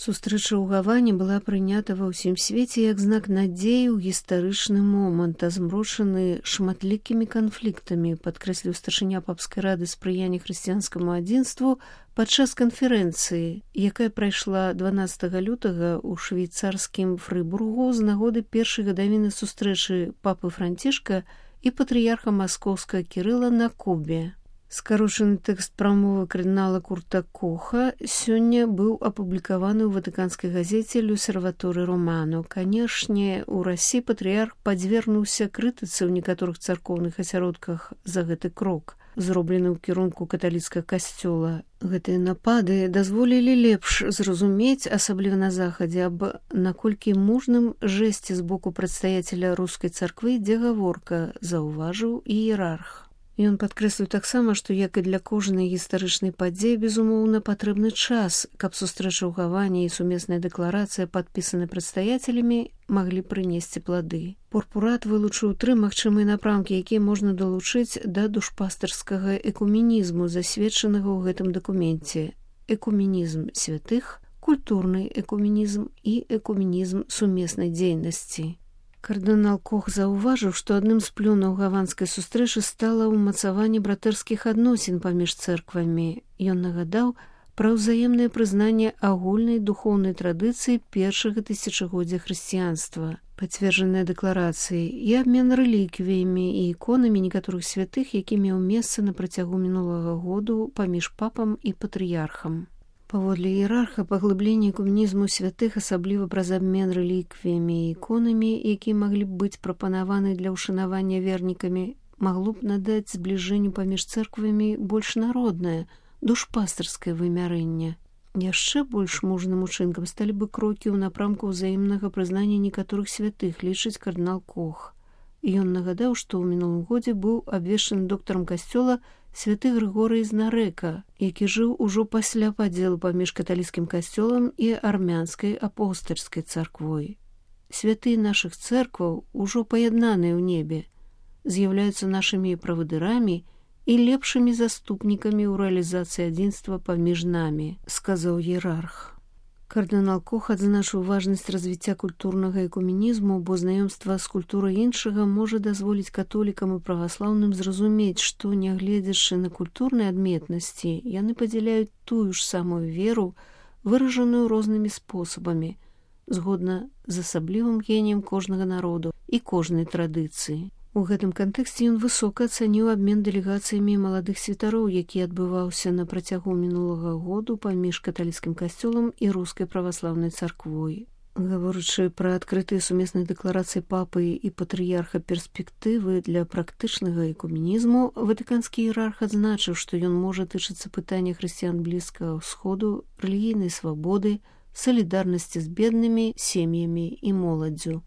Сустрэча ў Гаване была прынята ва ўсім свеце як знак надзеі ў гістарычны момант, змрочаны шматлікімі канфліктамі, падкрэсліў старшыня папскай рады спрыяння хрысціянскаму адзінству падчас канферэнцыі, якая прайшла 12 лютага ў швейцарскім Фрыбургу з нагоды першай гадавіны сустрэчы папы Францішка і патрыярха маскоўскага Кірыла на Кубе. Скарочаны тэкст прамовы кардынала Курта Коха сёння быў апублікаваны ў ватыканскай газеце «L'Osservatore Romano». Канешне, у Расіі патрыярх падзвергнуўся крытыцы ў некаторых царкоўных асяродках за гэты крок, зроблены ў кірунку каталіцкага касцёла. Гэтыя напады дазволілі лепш зразумець, асабліва на захадзе, аб наколькі мужным жэсце з боку прадстаяцеля рускай царквы ідзе гаворка, заўважыў іерарх. Ён падкрэсліў таксама, што як і для кожнай гістарычнай падзеі, безумоўна, патрэбны час, каб сустрэча ў Гаване і сумесная дэкларацыя, падпісаны прадстаяцелямі, маглі прынесці плады. Пурпурат вылучыў 3 магчымыя напрамкі, якія можна далучыць да душпастарскага экуменізму, засведчанага ў гэтым дакуменце. Экуменізм святых, культурны экуменізм і экуменізм сумеснай дзейнасці. Кардынал Кох заўважыў, што адным з плёнаў гаванскай сустрэчы стала ўмацаванне братэрскіх адносін паміж цэрквамі. Ён нагадаў пра ўзаемнае прызнанне агульнай духоўнай традыцыі першага тысячагоддзя хрысціянства, пацверджаныя дэкларацыяй, і абмен рэліквіямі і іконамі некаторых святых, які меў месца на працягу мінулага году паміж папам і патрыярхам. Паводле іерарха, паглыбленне экуменізму святых, асабліва праз абмен рэліквіямі і іконамі, якія маглі б быць прапанаваны для ўшанавання вернікамі, магло б надаць збліжэнню паміж цэрквамі больш народнае, душпастарскае вымярэнне. Яшчэ больш мужным учынкам сталі бы крокі ў напрамку ўзаемнага прызнання некаторых святых, лічыць кардынал Кох. Ён нагадаў, што ў мінулым годзе быў абвешчаны доктарам касцёла святы Грыгорый з Нарэка, які жыў ужо пасля падзелу паміж каталіцкім касцёлам і армянскай апостальскай царквой. Святыя нашых цэркваў ужо паяднаныя ў небе, з'яўляюцца нашымі правадырамі і лепшымі заступнікамі ў рэалізацыі адзінства паміж намі, сказаў іерарх. Кардынал Кох адзначыў важнасць развіцця культурнага экуменізму, бо знаёмства з культурай іншага можа дазволіць католікам і праваслаўным зразумець, што, нягледзячы на культурныя адметнасці, яны падзяляюць тую ж самую веру, выражаную рознымі спосабамі, згодна з асаблівым геніем кожнага народу і кожнай традыцыі. У гэтым кантэксце ён высока ацаніў абмен дэлегацыямі маладых святароў, які адбываўся на працягу мінулага году паміж каталіцкім касцёлам і рускай праваслаўнай царквой. Гаворачы пра адкрытыя сумесныя дэкларацыі папы і патрыярха перспектывы для практычнага экуменізму, ватыканскі іерарх адзначыў, што ён можа тычыцца пытання хрысціян Блізкага ўсходу, рэлігійнай свабоды, салідарнасці з беднымі, сем'ямі і моладдзю.